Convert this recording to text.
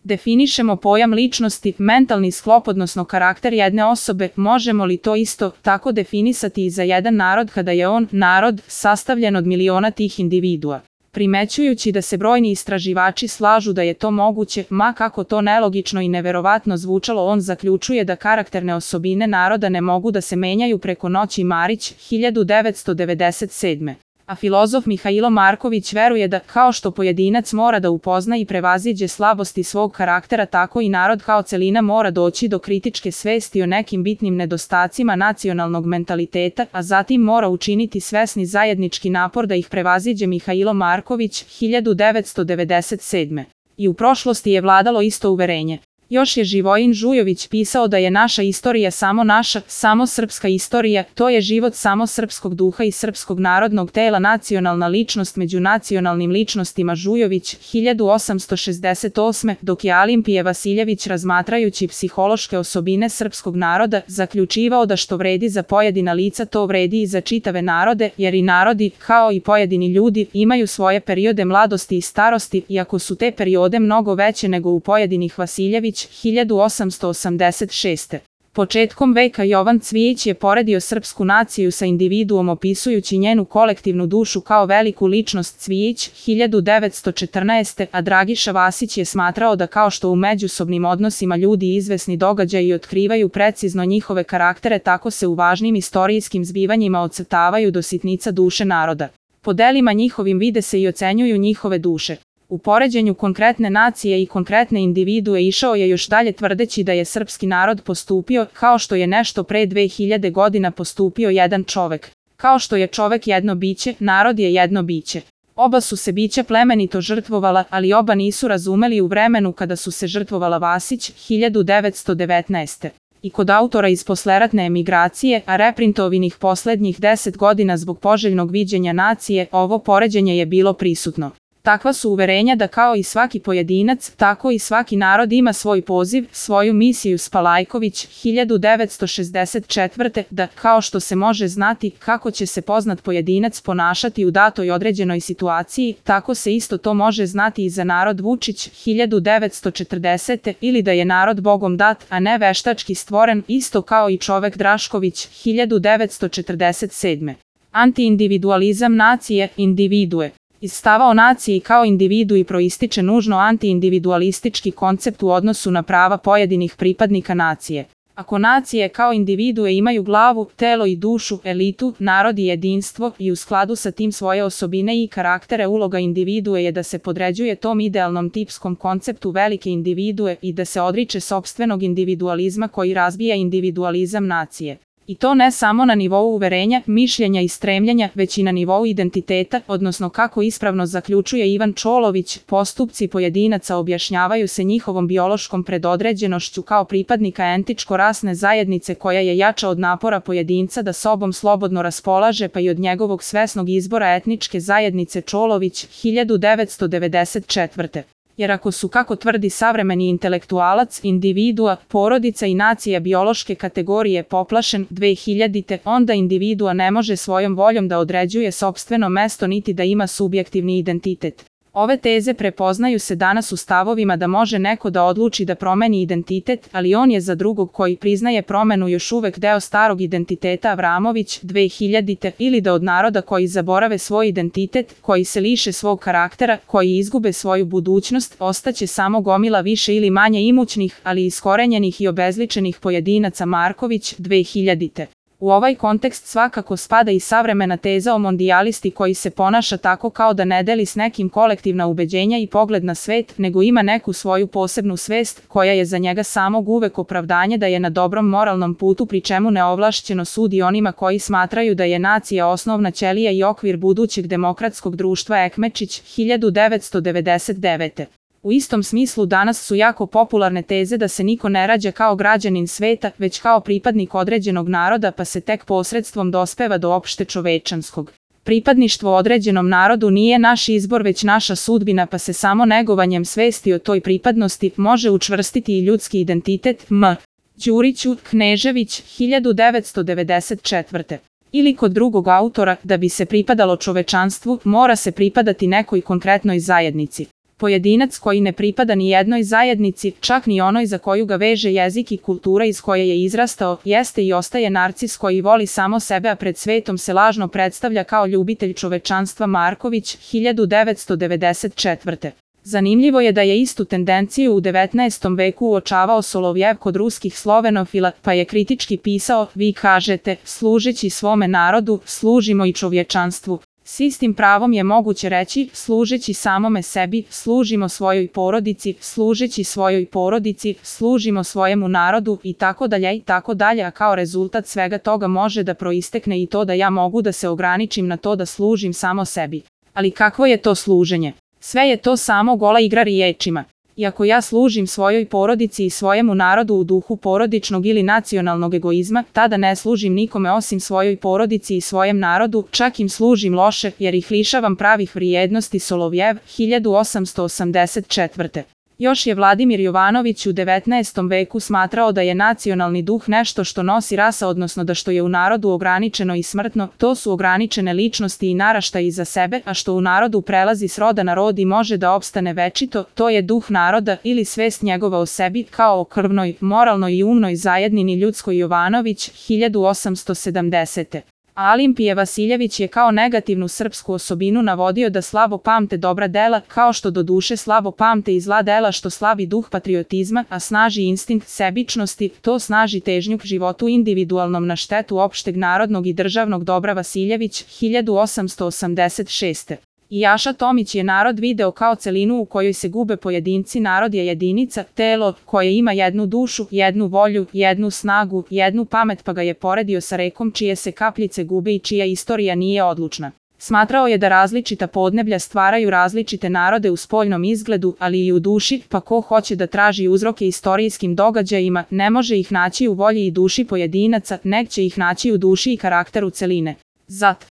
Definišemo pojam ličnosti, mentalni sklop odnosno karakter jedne osobe, možemo li to isto tako definisati i za jedan narod kada je on, narod, sastavljen od miliona tih individua? Primećujući da se brojni istraživači slažu da je to moguće, ma kako to nelogično i neverovatno zvučalo, on zaključuje da karakterne osobine naroda ne mogu da se menjaju preko noći. Marić, 1997. A filozof Mihailo Marković veruje da, kao što pojedinac mora da upozna i prevaziđe slabosti svog karaktera, tako i narod kao celina mora doći do kritičke svesti o nekim bitnim nedostacima nacionalnog mentaliteta, a zatim mora učiniti svesni zajednički napor da ih prevaziđe. Mihailo Marković, 1997. I u prošlosti je vladalo isto uverenje. Još je Živojin Žujović pisao da je naša istorija samo naša, samo srpska istorija, to je život samo srpskog duha i srpskog narodnog tela, nacionalna ličnost među nacionalnim ličnostima. Žujović, 1868. Dok je Alimpije Vasiljević, razmatrajući psihološke osobine srpskog naroda, zaključivao da što vredi za pojedina lica, to vredi i za čitave narode, jer i narodi, kao i pojedini ljudi, imaju svoje periode mladosti i starosti, iako su te periode mnogo veće nego u pojedinih. Vasiljević, 1886. Početkom veka Jovan Cvijić je poredio srpsku naciju sa individuom opisujući njenu kolektivnu dušu kao veliku ličnost. Cvijić, 1914. A Dragiša Vasić je smatrao da kao što u međusobnim odnosima ljudi izvesni događaji otkrivaju precizno njihove karaktere, tako se u važnim istorijskim zbivanjima ocrtavaju do sitnica duše naroda. Po delima njihovim vide se i ocenjuju njihove duše. U poređenju konkretne nacije i konkretne individue išao je još dalje tvrdeći da je srpski narod postupio kao što je nešto pre 2000 godina postupio jedan čovek. Kao što je čovek jedno biće, narod je jedno biće. Oba su se bića plemenito žrtvovala, ali oba nisu razumeli u vremenu kada su se žrtvovala. Vasić, 1919. I kod autora iz posleratne emigracije, a reprintovanih poslednjih 10 godina zbog poželjnog viđenja nacije, ovo poređenje je bilo prisutno. Takva su uverenja da kao i svaki pojedinac, tako i svaki narod ima svoj poziv, svoju misiju. Spalajković, 1964. Da, kao što se može znati kako će se poznat pojedinac ponašati u datoj određenoj situaciji, tako se isto to može znati i za narod. Vučić, 1940. Ili da je narod Bogom dat, a ne veštački stvoren, isto kao i čovek. Drašković, 1947. Antiindividualizam nacije, individue. Iz stava o naciji kao individui proističe nužno antiindividualistički koncept u odnosu na prava pojedinih pripadnika nacije. Ako nacije kao individue imaju glavu, telo i dušu, elitu, narod i jedinstvo, i u skladu sa tim svoje osobine i karaktere, uloga individue je da se podređuje tom idealnom tipskom konceptu velike individue i da se odriče sopstvenog individualizma koji razbija individualizam nacije. I to ne samo na nivou uverenja, mišljenja i stremljenja, već i na nivou identiteta, odnosno kako ispravno zaključuje Ivan Čolović, postupci pojedinaca objašnjavaju se njihovom biološkom predodređenošću kao pripadnika entičko-rasne zajednice koja je jača od napora pojedinca da sobom slobodno raspolaže, pa i od njegovog svesnog izbora etničke zajednice. Čolović, 1994. Jer ako su, kako tvrdi savremeni intelektualac, individua, porodica i nacija biološke kategorije poplašen 2000, onda individua ne može svojom voljom da određuje sopstveno mesto niti da ima subjektivni identitet. Ove teze prepoznaju se danas u stavovima da može neko da odluči da promeni identitet, ali on je za drugog koji priznaje promenu još uvek deo starog identiteta. Avramović, 2000, ili da od naroda koji zaborave svoj identitet, koji se liše svog karaktera, koji izgube svoju budućnost, ostaće samo gomila više ili manje imućnih, ali iskorenjenih i obezličenih pojedinaca. Marković, 2000. U ovaj kontekst svakako spada i savremena teza o mondijalisti koji se ponaša tako kao da ne deli s nekim kolektivna ubeđenja i pogled na svet, nego ima neku svoju posebnu svest, koja je za njega samog uvek opravdanje da je na dobrom moralnom putu, pri čemu neovlašćeno sudi onima koji smatraju da je nacija osnovna ćelija i okvir budućeg demokratskog društva. Ekmečić, 1999. U istom smislu danas su jako popularne teze da se niko ne rađa kao građanin sveta, već kao pripadnik određenog naroda, pa se tek posredstvom dospeva do opšte čovečanskog. Pripadništvo određenom narodu nije naš izbor već naša sudbina, pa se samo negovanjem svesti o toj pripadnosti može učvrstiti i ljudski identitet. M. Đuriću, Knežević, 1994. Ili kod drugog autora, da bi se pripadalo čovečanstvu, mora se pripadati nekoj konkretnoj zajednici. Pojedinac koji ne pripada ni jednoj zajednici, čak ni onoj za koju ga veže jezik i kultura iz koje je izrastao, jeste i ostaje narcis koji voli samo sebe, a pred svetom se lažno predstavlja kao ljubitelj čovečanstva. Marković, 1994. Zanimljivo je da je istu tendenciju u 19. veku uočavao Solovjev kod ruskih slovenofila, pa je kritički pisao: vi kažete, služeći svome narodu, služimo i čovječanstvu. S istim pravom je moguće reći, služeći samome sebi, služimo svojoj porodici, služeći svojoj porodici, služimo svojemu narodu i tako dalje, a kao rezultat svega toga može da proistekne i to da ja mogu da se ograničim na to da služim samo sebi. Ali kakvo je to služenje? Sve je to samo gola igra riječima. I ako ja služim svojoj porodici i svojemu narodu u duhu porodičnog ili nacionalnog egoizma, tada ne služim nikome osim svojoj porodici i svojem narodu, čak im služim loše jer ih lišavam pravih vrijednosti. Solovjev, 1884. Još je Vladimir Jovanović u 19. veku smatrao da je nacionalni duh nešto što nosi rasa, odnosno da što je u narodu ograničeno i smrtno, to su ograničene ličnosti i naraštaji za sebe, a što u narodu prelazi s roda na rod i može da opstane večito, to je duh naroda ili svest njegova o sebi, kao o krvnoj, moralnoj i umnoj zajednini ljudskoj. Jovanović, 1870. Alimpije Vasiljević je kao negativnu srpsku osobinu navodio da slabo pamte dobra dela, kao što do duše slabo pamte i zla dela, što slabi duh patriotizma, a snaži instinkt sebičnosti, to snaži težnju k životu individualnom na štetu opšteg narodnog i državnog dobra. Vasiljević, 1886. I Jaša Tomić je narod video kao celinu u kojoj se gube pojedinci. Narod je jedinica, telo, koje ima jednu dušu, jednu volju, jednu snagu, jednu pamet, pa ga je poredio sa rekom čije se kapljice gube i čija istorija nije odlučna. Smatrao je da različita podneblja stvaraju različite narode u spoljnom izgledu, ali i u duši, pa ko hoće da traži uzroke istorijskim događajima, ne može ih naći u volji i duši pojedinaca, nek će ih naći u duši i karakteru celine. Zat.